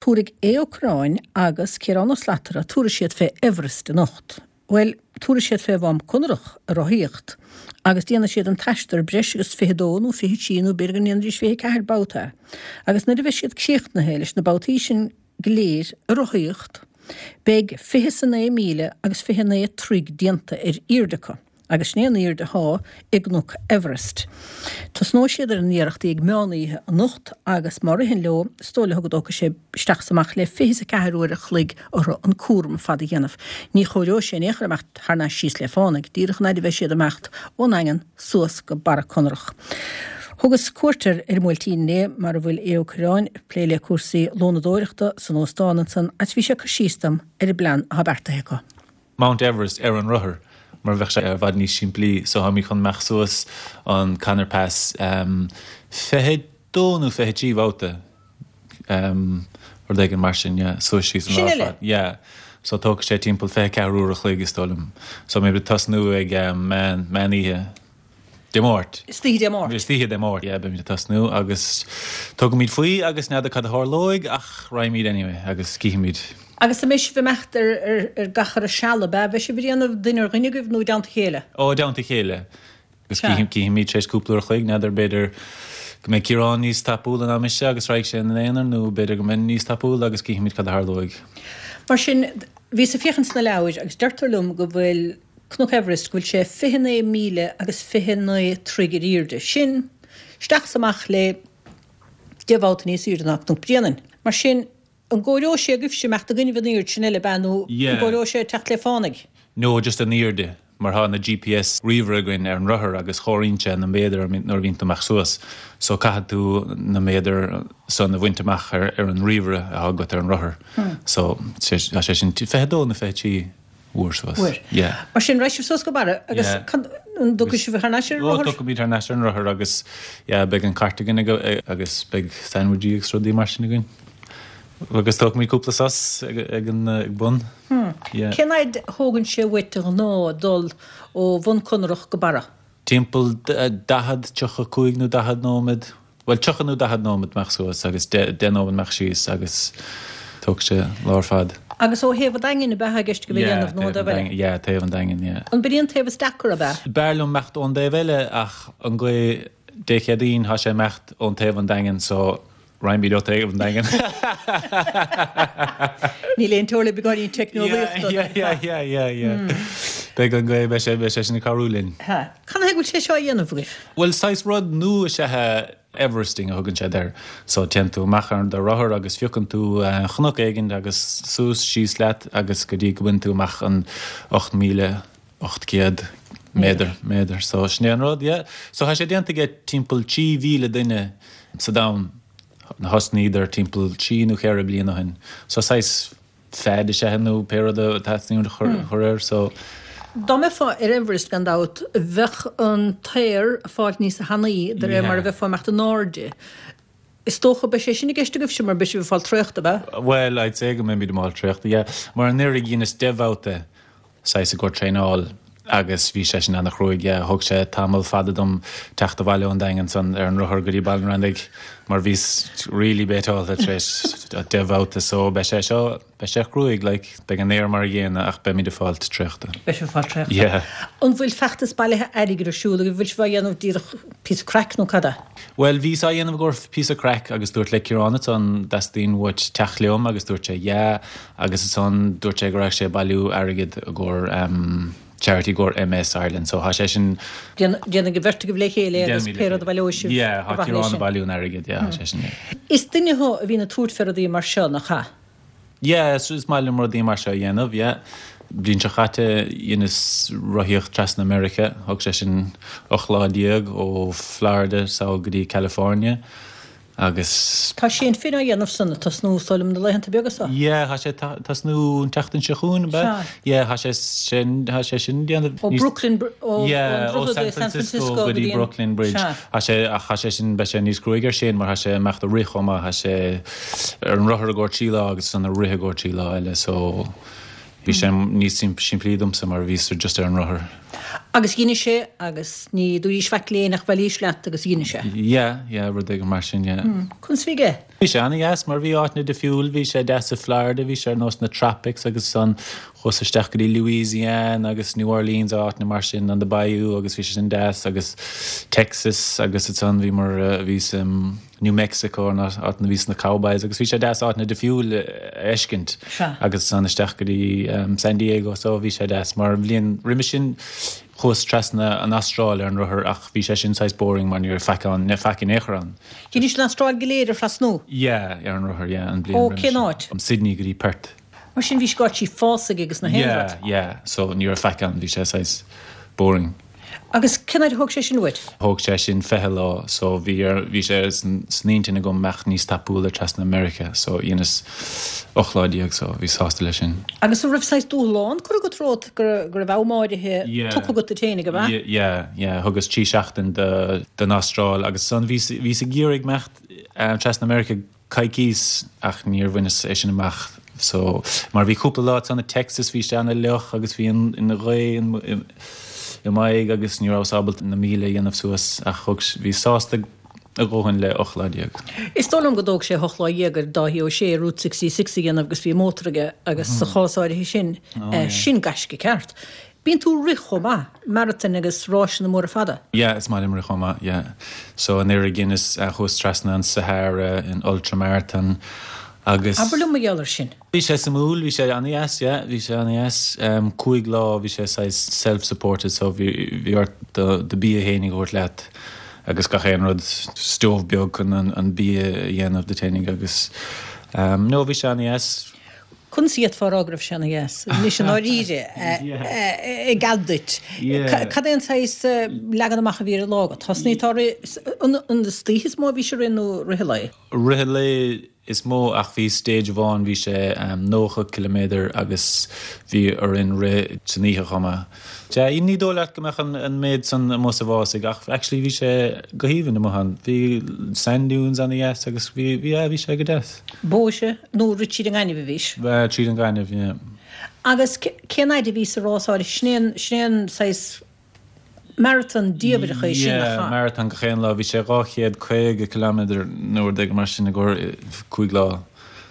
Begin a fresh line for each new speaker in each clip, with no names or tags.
Tabharfaidh Aodh Ó Cuirreáin agus Ciarán Ó Slatara, tabharfaidh siad fé Everest anocht. Bhuel, tabharfaidh siad fé Mhám Conrach ag rothaíocht agus déanfaidh siad an t-aistear breis agus 22 nó 23 nó b'fhéidir go ndéanfaidís 24 babhta é. Agus nuair a bheidh siad críochnaithe leis na babhtaí sin go léir ag rothaíocht, beidh 29 míle agus 29 troigh déanta ar airde acu. Agus sin é an airde athá i gCnoc Everest. Tosnóidh siad ar a n-iarrachtaí ag meán oíche anocht agus má ritheann leo, is dóigh leo go dtógfaidh sé isteach is amach le 24 uair a chloig orthu an cúram ar fad a dhéanamh. Ní chomhaireoidh sé in aon chor imeacht thar n-ais síos le fánaidh, díreach an fhaid a bheidh siad ag imeacht ón nDaingean suas go Barra Conrach. Thugas cuairt ar ar an mBuailtín inné, mar a bhfuil Aodh Ó Cuirreáin ag plé le cúrsaí lónadóireachta san óstán ansan agus bhí sé ag cur síos dom ar an bplean athá beartaithe acu.
Mount Everest ar an rothar mar bheadh sé i bhfad níos simplí so táimid chun imeacht suas an Conor Pass 22 nó 23 bhabhta rud éigin mar sin yeah suas síos an lá ar fad yeah so tógfaidh sé timpeall 24 uair a chloig is dóigh liom so beimid ag tosnú ag meán meán oíche Dé Máirt.
Istoíche Dé Máirt.
Istoíche Dé Máirt, yeah, beimid ag tosnú agus tógfaimid faoi agus n'fheadar cad a tharlóidh ach raghaimid anyway agus cífimid.
Agus an mbeidh sibh ag imeacht ar, ar, ar gach ar a seal, ab ea? Beidh sibh ag déanamh duine ar dhuine agaibh nó i dteannta a chéile?
Ó, i dteannta a chéile. Agus Sea. cífimid tar éis cúpla uair a chloig, n'fheadar, b'fhéidir go mbeidh Ciarán níos tapúla ná mise agus raghaidh sé ina aonar nó b'fhéidir go mbeinn níos tapúla agus cífimid cad a tharlóidh.
Mar sin, bhíos ag féachaint sna leabhair agus deirtear liom go bhfuil Cnoc Everest, go bhfuil sé 29 míle agus 29 troigh ar airde. Sin isteach is amach le deich mbabhta níos airde ná Cnoc Bréanainn. Mar sin, an gcomhaireoidh sé agaibhse imeacht i gcoinnibh an aird sin eile, ab ea, nó an gcomhaireoidh sé teacht le fánaidh?
No, just an airde, mar thá na GPS ríomhaire againn ar an rothar agus chomhaireann sé na méadair nuair a bhíonn tú amach suas. So caithfidh tú na méadair san a bhaint amach ar an ríomhaire athá agat ar an rothar. So, tá sé sin 22 nó 23. uair suas.
Uair.
Yeah.
Mar sin, raghaidh sibh suas go Barra agus
Yeah.
can, an dtiocfaidh sibh thar n-ais ar an
Ó,
rothar?
tiocfaimid thar n-ais ar an rothar agus yeah, beidh an cairt againn ag, agus beidh sandwichí agus rudaí mar sin againn. Agus tógfaimid cúpla sos ag, ag an, ag bun.
Hmm.
Yeah.
Cén fhaid a thógann sé uait de ghnáth dul ó Bhun Conrach go Barra?
Timpeall 40, 35 nó 40 nóiméad, bhuel 30 nó 40 nóiméad amach suas agus 10 nóiméad amach síos agus tógfaidh sé lá ar fad.
Agus ó thaobh an Daingin ab ea atá i gceist agaibh a dhéanamh nó an taobh eile?
Yeah, taobh an Daingin, yeah.
An b'in an taobh is deacra ab ea?
B'fhearr liom imeacht ón dtaobh eile ach an gaoth Dé Céadaoin tá sé imeacht ón taobh an Daingin so Raghaimid ó taobh an Daingin.
Níl aon teora le beagáinín teicneolaíochta.
Yeah, yeah, yeah, yeah, yeah. Beidh an gaoth, beidh sé, beidh sé sin ag cabhrú linn.
Ha. Canathaobh go bhfuil sé seo á dhéanamh agaibh?
Bhuel, saghas rud nua is ea é, Everesting a thugann siad air. So téann tú amach ar do rothar agus phiocann tú chnoc éigin agus suas síos leat agus go dtí go mbaineann tú amach an 8,800 méadar, méadar. So sin é an rud, yeah. So tá sé déanta aige timpeall 3,000 duine sa domhan. Thosnaíodar timpeall trí nó cheithre bliana ó shin. So saghas fad is ea é nó pé rud a theastaíonn a chur air. So.
Dá mbeifeá ar Everest gan dabht, bheadh an t-aer ag fáilt níosa thanaí de réir mar a bheifeá ag imeacht in airde. Is dócha, beidh sé sin i gceist agaibhse mar beidh sibh ag fáil traochta, ab
ea? Bhuel, I'd say go mbeimid ag fáil traochta, yeah. Mar anuraidh dheineas 10 bhabhta saghas i gcomhair traenáil agus bhí sé sin ana-chruaidh, yeah. Thóg sé tamall fada dom teacht abhaile ón Daingean ansan ar an rothar go dtí Baile an Randaigh mar bhíos really béiteáilte tar éis 10 bhabhta so beidh sé seo, beidh sé cruaidh, like, beidh an aer mar a gcéanna ach beimid ag fáilt traochta.
Beidh sibh ag fáil traochta.
Yeah.
An bhfuil feachtas bailithe airgid ar siúl agaibh? Bhfuil sibh á dhéanamh díreach píosa craic nó cad é?
Bhuel, bhíos á dhéanamh i gcomhair píosa craic agus dúirt le Ciarán ansan dteastaíonn uait teacht liom agus dúirt sé yeah agus ansan dúirt sé go raibh sé ag bailiú airgid i gcomhair em charity i gcomhair MS Ireland so thá sé sin
Déanfaidh an bheirt agaibh le chéile é agus
Déanfaimid le
pé rud a
chéile.
bhaileoidh sibh
Yeah,
ar
thá
mhaithe leis
Ciarán ag
sin.
bailiú an airgid yeah thá sé sin yeah.
Is duine thú a bhíonn ag tabhairt fé rudaí mar seo, nach ea?
Yeah, is maith liom rudaí mar seo a dhéanamh, yeah. Bliain seo chaite dheineas rothaíocht trasna Meiriceá, thóg sé sin 18 lá ó Florida sall go dtí California agus.
Tá Shane Finn á dhéanamh san, ag tosnú is dóigh liom na laethanta beaga seo.
Yeah, tá sé ag tosnú an tseachtain seo chugainn, ab ea?
Sea.
Yeah, tá sé sin, tá sé sin déanamh
Ó
níos.
Brooklyn, ó
Yeah,
ón
ó
droichead
San
i San
Francisco
Francisco
go
go
dtí
dtí an.
Brooklyn Bridge.
Sea.
Tá sé, ach tá sé sin, beidh sé níos cruaidh ar Shane mar tá sé ag imeacht ag rith chomh maith, tá sé ar an rothar i gcomhair 3 lá agus ansan ag rith i gcomhair 3 lá eile so bhí sé níos simplí domsa mar bhíos just ar an rothar.
Agus dheinis é agus ní dúraís faic léi nach bhfaillís leat agus dheinis é.
Yeah, yeah, rud éigin mar sin, yeah.
Conas a bhí aige?
Bhí sé ana-dheas mar bhí áiteanna difriúil, bhí sé deas i Florida, bhí sé ar nós na tropics agus ansan chuas isteach go dtí Louisiana agus New Orleans áiteanna mar sin, on the bayou agus bhí sé sin deas agus Texas agus ansan bhíomar, bhíos i New Mexico an áit a bhíos na cowboys agus bhí sé deas áiteanna difriúil a fheiscint agus ansan isteach go dtí San Diego so bhí sé deas mar an bhliain roimhe sin chuas trasna an Astráil ar an rothar ach bhí sé sin saghas boring mar ní raibh faic ann, ní raibh faic in aon chor ann.
Dheinis an Astráil go léir a thrasnú?
Yeah, ar an rothar, yeah, an bhliain roimhe
sin. Ó cén áit?
Sydney go dtí Perth.
Mar sin bhí scaití fásaigh agus na haon
rud. Yeah, yeah, so ní raibh faic ann, bhí sé saghas boring.
Agus cén fhaid a thóg sé sin uait?
Thóg sé sin 20 lá so bhí ar, bhí sé san intinn agam imeacht níos tapúla trasna Meiriceá so dheineas 18 lá so bhíos sásta leis sin.
Agus an raibh saghas dúshlán curtha agat romhat go go raibh am áirithe tugtha agat duit féinig, ab
ea? Yeah, yeah, thugas 3 seachtain do don Astráil agus ansan bhíos, bhíos ag iarraidh imeacht trasna Meiriceá coicís ach níor bhaineas é sin amach so mar bhí cúpla lá ansan i Texas bhí sé ana fhliuch agus bhí an an ghaoth i m'aghaidh agus ní rabhas ábalta na míle a dhéanamh suas ach thug bhí sásta a dhóthain le 18 lá.
Is dóigh liom go dtóg sé 18 lá ar Dáithí Ó Sé Route 66 a dhéanamh agus bhí mótar aige agus sa chás áirithe sin sin gaisce ceart. Bíonn tú ag rith chomh maith, maratoin agus ráiseanna móra fada.
Yeah, is maith liom rith chomh maith, yeah. So anuraidh dheineas, chuas trasna an Sahara in ultra marathon agus.
Abair liom mar gheall air sin.
Bhí sé suimiúil, bhí sé an-dheas, yeah, bhí sé an-dheas. 5 lá, bhí sé saghas self-supported so bhí, bhí ort do, do bia fhéinig a thabhairt leat agus gach aon rud, stove beag chun an, an bia a dhéanamh duit fhéinig agus, no, bhí sé an-dheas.
Conas a d'fhéadfá a rá go raibh sé ana dheas? Anois i ndáiríre, i gcead duit, cad é an saghas leagan amach a bhí ar an lá agat? Thosnaigh tú ag rith, an istoíche is mó a bhís ag rith nó rith an lae?
Rith an lae is mó ach bhí stage amháin, bhí sé 90 ciliméadar agus bhí orainn rith san oíche chomh maith. Sea, ní dóigh leat go mbeadh an méid san amuigh sa bhfásach ach actually bhí sé go haoibhinn amuigh ann. Bhí sand dunes ana-dheas agus bhí, bhí, yeah, bhí sé go deas.
Bóise nó rith tríd an ngaineamh a bhís?
Bhuel, tríd an ngaineamh, yeah.
Agus cén fhaid a bhí sa rás áirithe? Sin é an, sin é an saghas marathon diamhrach é sin,
nach ea? Yeah, marathon gach aon lá. Bhí sé 250 kilometre nó rud éigin mar sin i gcomhair cúig lá.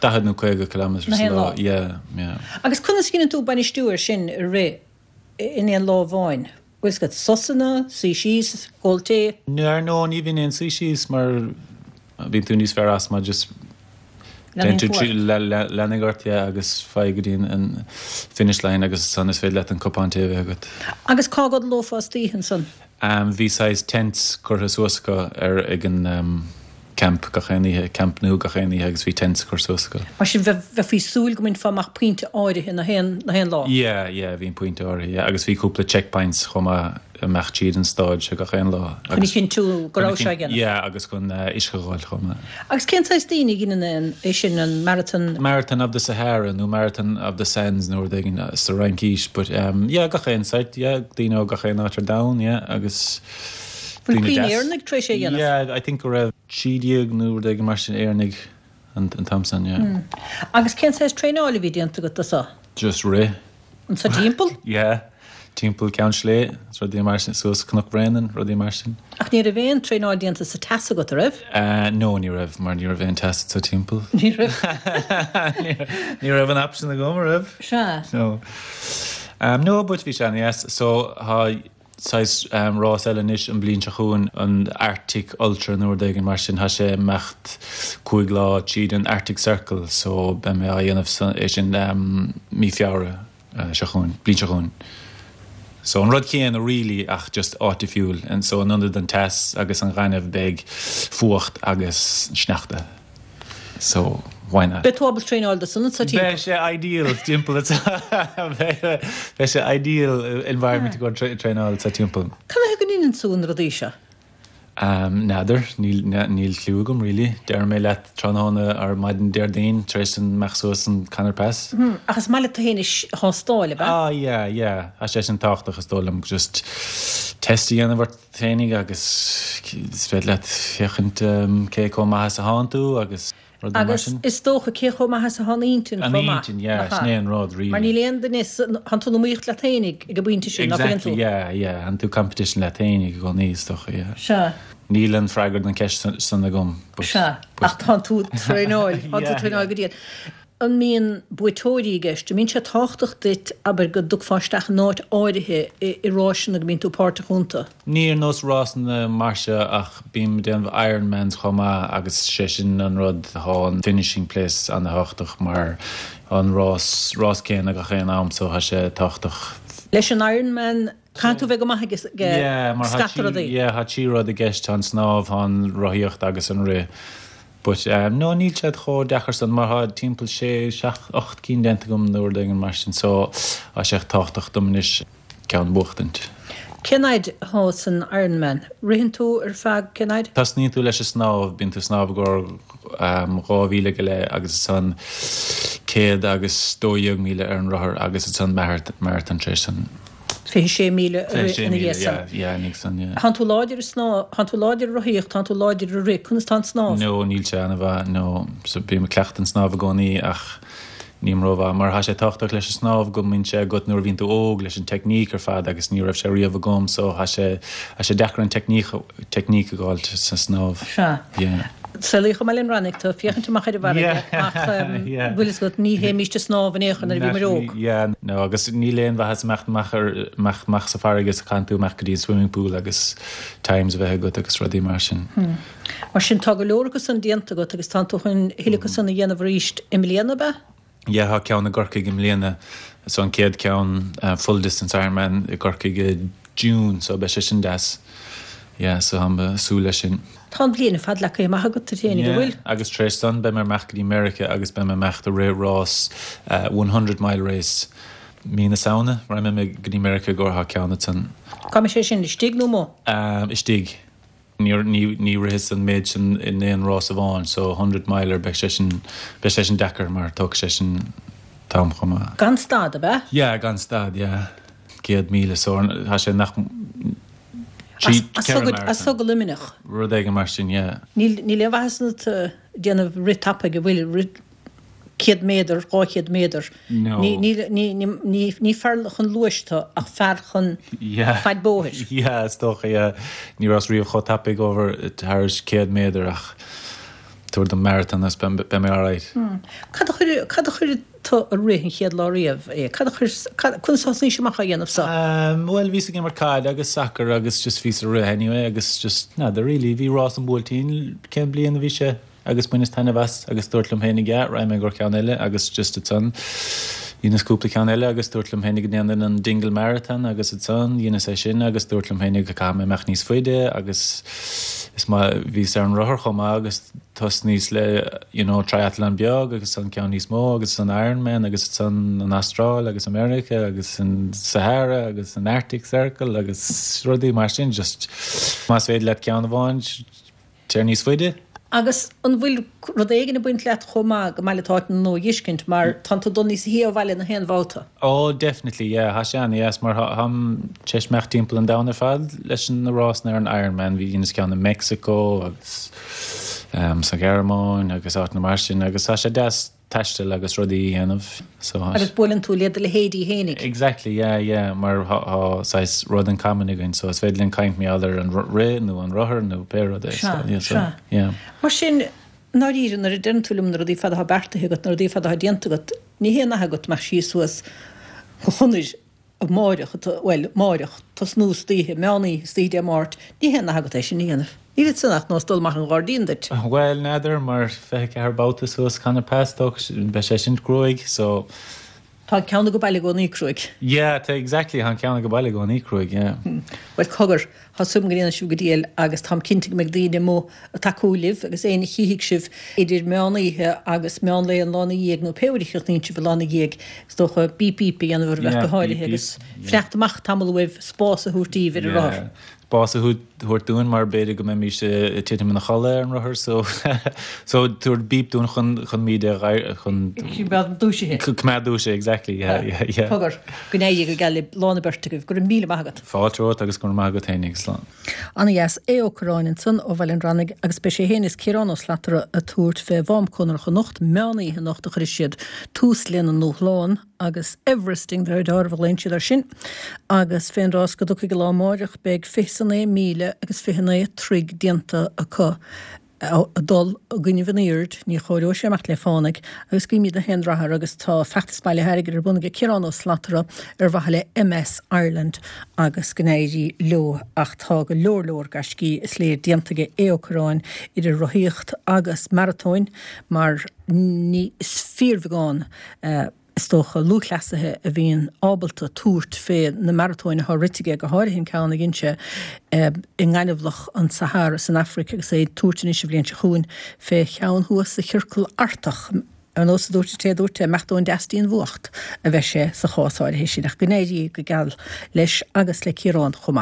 40 nó 50 kilometre sa lá. Yeah, yeah.
Agus conas a dheineann tú bainistiú air sin i rith in aon lá amháin? Bhfuil fhios agat, sosanna, suí síos, ag ól tae?
Ar ndóigh ní bhíonn aon suí síos mar bíonn tú níos fearr as má just
Leanann tú ort.
Leanfaidh ort, yeah, agus faigh go dtí an finish line agus ansan is féidir leat an cupán tae a bheith agat.
Agus cá gcodlófá istoíche ansan?
Bhí saghas tents curtha suas acu ar ag an camp gach aon oíche, camp nua gach aon oíche agus bhí tents curtha suas acu.
Mar sin bheifí ag súil go mbainfeá amach pointe áirithe na haon na haon lá?
Yeah, yeah, bhí an pointe áirithe, yeah. Agus bhí cúpla checkpoints chomh maith ag imeacht tríd an stáid seo gach aon lá.
Chun a chinntiú go raibh sé á dhéanamh.
Yeah, agus chun uisce a dh'fháil chomh maith.
Agus cén saghas daoine a dheineann é sin, an Marathon?
Marathon of the Sahara nó Marathon of the Sands nó rud éigin sa Fhraincís but yeah gach aon site yeah daoine ó gach aon áit ar domhan yeah agus
Bhfuil daoine deas. Éireannaigh tar éis é a dhéanamh?
Yeah I think go raibh 13 nó rud éigin mar sin Éireannaigh an t-am san yeah.
Agus cén saghas traenáil a bhí déanta agat do so?
Just rith.
Anso timpeall?
Yeah. Timpeall Ceann Sléibhe, is rudaí mar sin, suas Cnoc Bhréanainn, rudaí mar sin.
Ach ní raibh aon traenáil déanta sa teas agat, a raibh?
No, ní raibh, mar ní raibh aon teas anso timpeall.
Ní raibh.
Ní raibh an option agam, a raibh?
Sea.
No. No, but bhí sé ana-dheas. So, tá saghas rás eile anois an bhliain seo chugainn, an Arctic Ultra nó rud éigin mar sin, tá sé imeacht cúig lá tríd an Arctic Circle so beidh mé á dhéanamh é sin mí Feabhra seo chugainn, bliain seo chugainn. So an rud céanna really ach just áit difriúil and so in ionad an teas agus an ghaineamh beidh fuacht agus sneachta. So, why not?
Beidh tú ábalta traenáil do san anso
timpeall. Beidh sé ideal timpeall anso. Beidh sé ideal environment i gcomhair traenáil anso timpeall.
Cad chuige go ndeineann tú na rudaí seo?
N'fheadar, níl cliú agam really. Déarfaidh mé leat tráthnóna ar maidin Déardaoin tar éis imeacht suas an Conor Pass.
Ach is maith leat tú féin a thástáil, ab
ea? Ah yeah, yeah. Tá sé sin tábhachtach is dóigh liom, just test a dhéanamh ort féinig agus is féidir leat féachaint cé chomh maith is atánn tú agus. Rudaí mar
Agus
sin.
is dócha cé chomh maith is atá an intinn
An
chomh maith,
intinn, yeah,
nach
sin
ea?
é an rud, really.
Mar níl aon duine, tánn tú in iomaíocht leat fhéinig ag an bpointe sin, nach bhfuileann
Exactly,
tú?
yeah, yeah, tánn tú competition leat fhéinig i gcónaí, is dócha, yeah.
Sea.
Níl an freagra don cheist san agam, but.
Sea, ach tánn tú traenáil, tánn tú
Yeah,
traenáil
yeah.
go dian. An mbíonn buaiteoirí i gceist? An mbíonn sé tábhachtach duit, abair, go dtiocfá isteach in áit áirithe i ráiseanna go mbíonn tú páirteach iontu?
Ní ar nós rásanna mar seo ach bím ag déanamh Ironmans chomh maith agus sé sin an rud, thá an finishing place ana-thábhachtach mar thá an rás, rás céanna gach aon am so thá sé tábhachtach.
Leis an Ironman, caithfidh tú bheith go maith ag
Yeah, mar thá
scata
trí,
rudaí.
yeah, thá trí rud i gceist, thá an snámh, thá an rothaíocht agus an rith. But no níl siad chomh deacair san mar thá timpeall sé, seacht, 8 cinn déanta agam nó rud éigin mar sin so thá sé tábhachtach dom anois ceann a bhuachtaint.
Cén fhaid athá san Ironman? Ritheann tú ar feadh cén fhaid?
Tosnaíonn tú leis an snámh, bíonn tú ag snámh i gcomhair 2 mhíle go leith agus ansan 112 míle ar an rothar agus ansan marathon tar éis san.
26 míle a rith
26
ina
míle,
dhiaidh san.
yeah, yeah, ina dhiaidh san, yeah.
Tánn tú láidir i snámh, tánn tú láidir i rothaíocht, tánn tú láidir i rith, conas tá an snámh?
No, níl sé ana-mhaith, no. So bím ag cleachtadh an snámh i gcónaí ach nílim rómhaith mar thá sé tábhachtach leis an snámh go mbíonn sé agat nuair a bhíonn tú óg leis an technique ar fad agus ní raibh sé riamh agam so thá sé, thá sé deacair an technique, technique a dh'fháilt sa snámh.
Sea.
Yeah.
Saolaíodh i mBaile an Reannaigh tú, féachaint amach ar an bhfarraige, ach bhfuil fhios agat, ní théimíst ag snámh in aon chor nuair a bhíomar óg.
Yeah, no, agus níl aon mhaitheas imeacht amach ar, amach, amach sa bhfarraige is caitheann tú imeacht go dtí an swimming pool agus times a bheith agat agus rudaí mar sin.
Mar sin, tá go leor acu san déanta agat agus tánn tú chun a thuilleadh acu san a dhéanamh arís i mbliana, ab ea?
Yeah, tá ceann i gCorcaigh i mbliana, so an chéad ceann full distance Ironman i gCorcaigh i June, so beidh sé sin deas. Yeah, so táim ag súil leis sin.
Tá an bhliain ar fad leagtha amach agat duit fhéinig, an bhfuil?
Yeah, agus tar éis san beidh mé ag imeacht go dtí Meiriceá agus beidh mé ag imeacht ag rith rás one hundred mile race mí na Samhna, raghaidh mé go dtí Meiriceá go tá ceann ansan.
Cá mbeidh sé sin, istigh nó amuigh?
Istigh. Ní ritheas an méid sin in aon rás amháin so hundred miler beidh sé sin, beidh sé sin deacair mar tógfaidh sé sin t-am chomh maith.
Gan stad, ab ea?
Yeah, gan stad, yeah. 100,000 so tá sé nach trí,
As so go Luimneach.
Rud éigin mar sin, yeah.
Níl aon mhaitheas ionat déanamh rith tapaidh, an bhfuil, rith 100 méadar, 200 méadar.
No.
Ní fear chun luais tú ach fear chun faid bóthair.
Yeah, is dócha, yeah. Ní rabhas riamh chomh tapaidh over thar 100 méadar ach tabhair dom marathon agus beidh mé alright.
Cad a chuir, cad a chuir tú ag rith an chéad lá riamh é? Cad a chuir, conas a thosnaís amach á dhéanamh so?
Bhuel, bhíos ag imirt caide agus sacar agus just bhíos ag rith anyway agus just, n'fheadar really, bhí rás an Bhuailtín, cén bliain a bhí sé? Agus bhaineas taitneamh as agus dúirt liom féinig yeah, raghaidh mé i gcomhair ceann eile agus just ansan dheineas cúpla ceann eile agus dúirt liom féinig go ndéanfainn an Dingle Marathon agus ansan dheineas é sin agus dúirt liom féinig go caithfidh mé imeacht níos faide agus is maith bhíos ar an rothar chomh maith agus thosnaíos le you know triathlon beag agus ansan ceann níos mó agus an Ironman agus ansan an Astráil agus America agus an Sahara agus an Arctic Circle agus rudaí mar sin just más féidir leat ceann amháin Téir níos faide.
Agus an bhfuil rud éigin ag baint leat chomh maith go maith leat áit nua a dh'fheiscint mar tánn tú ag dul níos sia ó bhaile na haon bhabhta?
Oh definitely yeah, thá sé ana-dheas mar tháim tar éis imeacht timpeall an domhain ar fad leis na rásanna ar an Ironman, bhí dheineas ceann i Mexico agus sa Ghearmáin agus áiteanna mar sin agus tá sé deas taisteal agus rudaí a dhéanamh so.
Agus buaileann tú le do leithéidí fhéinig.
Exactly, yeah, yeah, mar thá saghas rud in common againn so is féidir linn caint mar gheall ar an rith nó an rothar nó pé rud é so, yeah, so, yeah.
Mar sin, i ndáiríre, nuair a deireann tú liom na rudaí fada atá beartaithe agat, na rudaí fada atá déanta agat, ní haon nath agat imeacht síos suas an chonair amáireach, bhuel, amáireach, tosnú istoíche, meán oíche, istoíche Dé Máirt, ní haon nath agat é sin a dhéanamh. Níl ansan ach nós dul amach an ghairdín duit.
Bhuel, n'fheadar, mar 24 babhta suas Conor Pass, beidh sé sin cruaidh, so.
Tá an ceann ag baile i gcónaí cruaidh.
Yeah, tá, exactly, tá an ceann ag baile i gcónaí cruaidh, yeah.
Bhuel, cogar, Tá súil agam go ndéanfaidh sibh go diail agus táim cinnte go mbeidh daoine amuigh ag tacú libh agus éinne a chífidh sibh idir meán oíche agus meán lae an lá ina dhiaidh nó pé uair a chríochnaíonn sibh an lá ina dhiaidh is dócha bíp bíp a dhéanamh oraibh ach go háirithe agus fanacht amach tamall uaibh spás a thabhairt daoibh ar an rothar.
Bás a thabhairt dúinn mar b'fhéidir go mbeimis ag titim ina chodladh ar an rothar so so tabhairt beep dúinn chun chun muid a chun
Coimeád dúisithe.
Coimeád dúisithe exactly yeah yeah yeah.
Cogar, go n-éirí go geal libh lá na beirt agaibh. Go raibh míle maith agat.
Fáilte romhat agus go raibh maith agat féinig. Slán.
Ana dheas. Aodh Ó Curráin ansan ó Bhaile an Bhranaigh agus beidh sé féin is Ciarán Ó Slatara ag tabhairt fé Mhám Cónarach anocht, meán oíche anocht a chuirfidh siad tús lena ndúshlán. agus Everesting their daughter a ghlaonn siad air sin, agus fén rás go dtiocfaidh an lá amáireach beidh 29 míle agus 29 troigh déanta acu ag dul i gcoinnibh an aoird, ní chomhaireoidh sé amach le fánaidh, agus guímid gach aon rath air agus tá feachtas bailithe airgid ar bun aige Ciarán Ó Slatara ar mhaithe le MS Ireland agus go n-éirí leo ach tá go leor leor gaiscí is léir déanta aige Aodh Ó Curráin idir rothaíocht agus maratóin mar ní is fíorbheagán is dócha, lúthchleasaithe a bhíonn ábalta tabhairt fé na maratóin atá rite aige, go háirithe an ceann a dhein sé i ngaineamhlach an Sahara san Afraic agus é ag tabhairt anois an bhliain seo chugainn fé cheann thuas sa Chiorcal Artach. Ar nós a dúirt an té a dúirt é, imeacht ón deas dtí an bhfuacht a bheidh sé sa chás áirithe sin, ach go n-éirí go geal leis agus le Ciarán chomh maith.